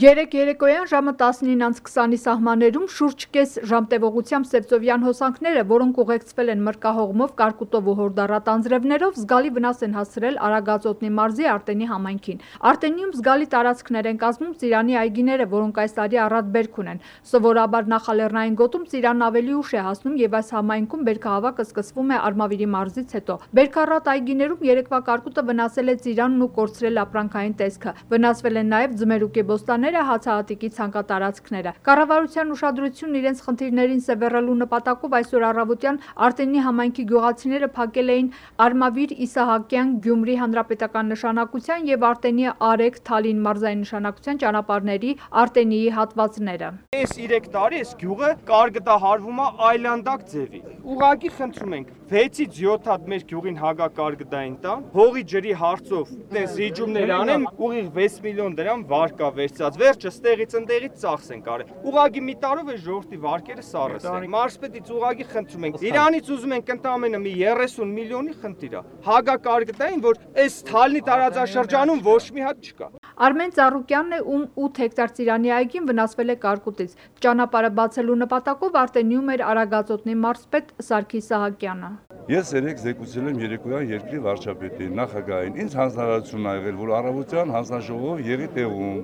Երեկ երեկոյան ժամը 19:20-ի սահմաններում շուրջ կես ժամ տևողությամբ Սևծովյան հոսանքները, որոնք ուղեկցվել են մրրկահողմով, կարկուտով ու հորդառատ անձրևներով, զգալի վնաս են հասցրել Արագածոտնի մարզի Արտենի համայնքին։ Արտենիում զգալի տարածքներ են կազմում ծիրանի այգիները, որոնք այս տարի առատ բերք ունեն։ Սովորաբար նախալեռնային գոտում ծիրանն ավելի ուշ է հասնում եւ այս համայնքում բերքահավաքը սկսվում է Արմավիրի մարզից հետո։ Բերքառատ այգիներում երեկվա կարկուտը վնասել է ծիրանն ու կորցրել ապրանքային տեսքը։ Վնասվել են նաեւ ձմերուկի բոստանները, հացահատիկի ցանկատարածքները։ Կառավարության ուշադրությունն իրենց խնդիրներին սևեռելու նպատակով այսօր առավոտյան Արտենի համայնքի գյուղացիները փակել էին Արմավիր Իսահակյան Գյումրի հանրապետական նշանակության եւ Արտենի Արեգ Թալին մարզային նշանակության ճանապարհների Արտենիի հատվածները։ Այս 3 տարի այս գյուղը կարգդահարվում է այլանդակ ձևի։ Ուղղակի խնդրում ենք 6-ից 7 հատ մեր գյուղին հագակարգդային տան, հողի ջրի հարցով այդպես ռիջումներ անեն, ուղիղ 6 միլիոն դրամ վարկա վերցած, վերջը ստեղից ընդեղից ծախսեն կարել։ Ուղղակի մի տարով է ժողովրդի վարկերը սառեցին։ Մարզպետից ուղղակի խնդրում ենք, իրանից ուզում ենք ընդամենը մի 30 միլիոնի խնդիր է։ Հագակարգդային, որ այս Թալնի տարածաշրջանում ոչ մի հատ չկա։ Արմեն Ծառուկյանն է, ում 8 հեկտար ծիրանի այգին վնասվել է կարկուտից։ Ճանապարհը բացելու նպատակով Արտենիում էր Արագածոտնի մարզպետ Սարգիս Սահակյանը։ Ես երեք զեկուցել եմ երեկոյան երկրի վարչապետին, նախագահին, ինձ հանձնարարություն ա եղել, որ առավոտյան հանձնաժողով եղի տեղում,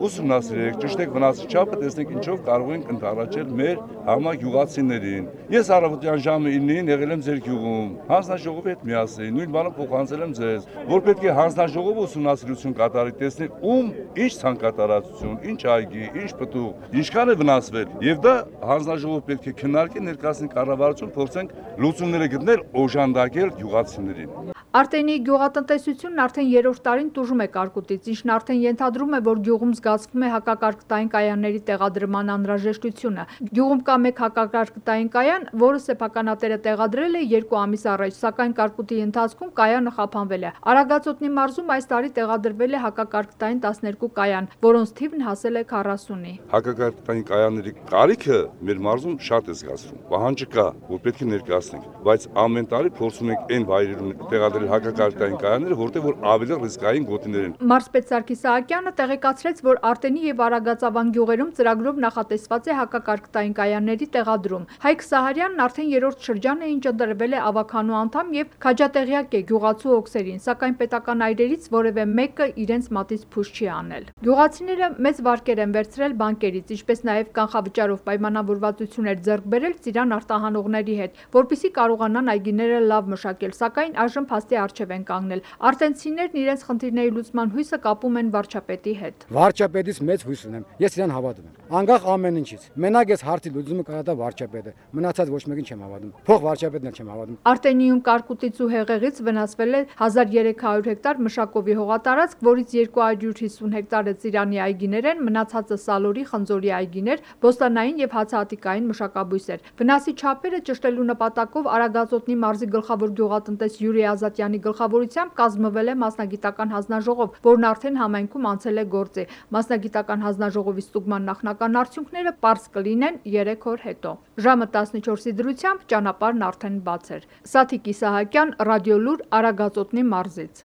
ուսումնասիրեք, ճշտեք վնասի չափը, տեսնենք ինչով կարող ենք ընդառաջել մեր համագյուղացիներին։ Ես առավոտյան ժամը 9-ին եղել եմ ձեր գյուղում, հանձնաժողովի հետ միասին, նույն բանը փոխանցել եմ ձեզ, որ պետք է հանձնաժողովը ուսումնասիրություն կատարի, տեսնենք ում ինչ ցանկատարածություն, ինչ այգի, ինչ պտուղ, ինչքան է վնասվել, եւ դա հանձնաժողովը պետք է քննարկի, ներկայացնի կառավարություն, փորձենք լուծումները գտնել, օժանդակել գյուղացիներին։ Արտենիի գյուղատնտեսությունն արդեն 3-րդ տարին տուժում է կարկուտից, ինչն արդեն ենթադրում է, որ գյուղում զգացվում է հակակարկտային կայանների տեղադրման անհրաժեշտությունը։ Գյուղում կա մեկ հակակարկտային կայան, որը սեփականատերը տեղադրել է 2 ամիս առաջ, սակայն կարկուտի ընթացքում կայանը խափանվել է։ Արագածոտնի մարզում այս տարի տեղադրվել է հակակարկտային 12 կայան, որոնց թիվն հասել է 40-ի։ Հակակարկտային կայանների կարիքը մեր մարզում շատ է զգացվում։ Պահանջը կա, որ պետք է ներկայացնենք, բայց ամեն տարի փորձում ենք այն վայրերում տեղադրել հակակարկտային կայանները, որտեղ որ ավելի ռիսկային գոտիներ են։ Մարզպետ Սարգիս Սահակյանը տեղեկացրեց, որ Արտենի եւ Արագածավան գյուղերում ծրագրով նախատեսված է հակակարկտային կայանների տեղադրում։ Հայկ Սահարյանն արդեն 3-րդ շրջան է, ինչ ընտրվել է ավականու անդամ եւ քաջատեղյակ է գյուղացու օգսերին, սակայն պետական այրերից որևէ մեկը իրենց մատից փուշ չի անել։ Գյուղացիները մեծ վարկեր են վերցրել բանկերից, ինչպես նաեւ կանխավճարով պայմանավորվածություններ ձեռք բերել ծիրան արտահանողների հետ, որպեսզի կարողանան այգիները լավ մշակել, սակայն այժմ փաստի առջև են կանգնել։ Արտենցիներն իրենց խնդիրների լուծման հույսը կապում են վարչապետի հետ։ Վարչապետից մեծ հույս ունեմ, ես իրան հավատում եմ։ Անկախ ամեն ինչից։ Մենակ ես հարցի լուծումը կարա վարչապետը, մնացած ոչ մեկին չեմ հավատում։ Փող վարչապետն էլ չեմ հավատում։ Արտենիում կարկուտից ու հեղեղից վնասվել է 1300 հեկտար մշակովի հողատարածք, որից 250 հեկտարը ծիրանի այգիներ են, մնացածը Սալորի, Խնձորի այգիներ, բոստանային եւ հացահատիկային մշակաբույսեր։ Վնասի չափերը ճշտելու նպատակով Արագածոտնի մարզի գլխավոր գյուղատնտես Յուրի Ազատյանի գլխավորությամբ կազմվել է մասնագիտական հանձնաժողով, որն արդեն համայնքում անցել է գործի։ Մասնագիտական հանձնաժողովի ստուգման նախնական արդյունքները պարզ կլինեն 3 օր հետո։ Ժամը 14-ի դրությամբ ճանապարհն արդեն բաց էր։ Սաթիկ Իսահակյան, Ռադիոլուր, Արագածոտնի մարզից։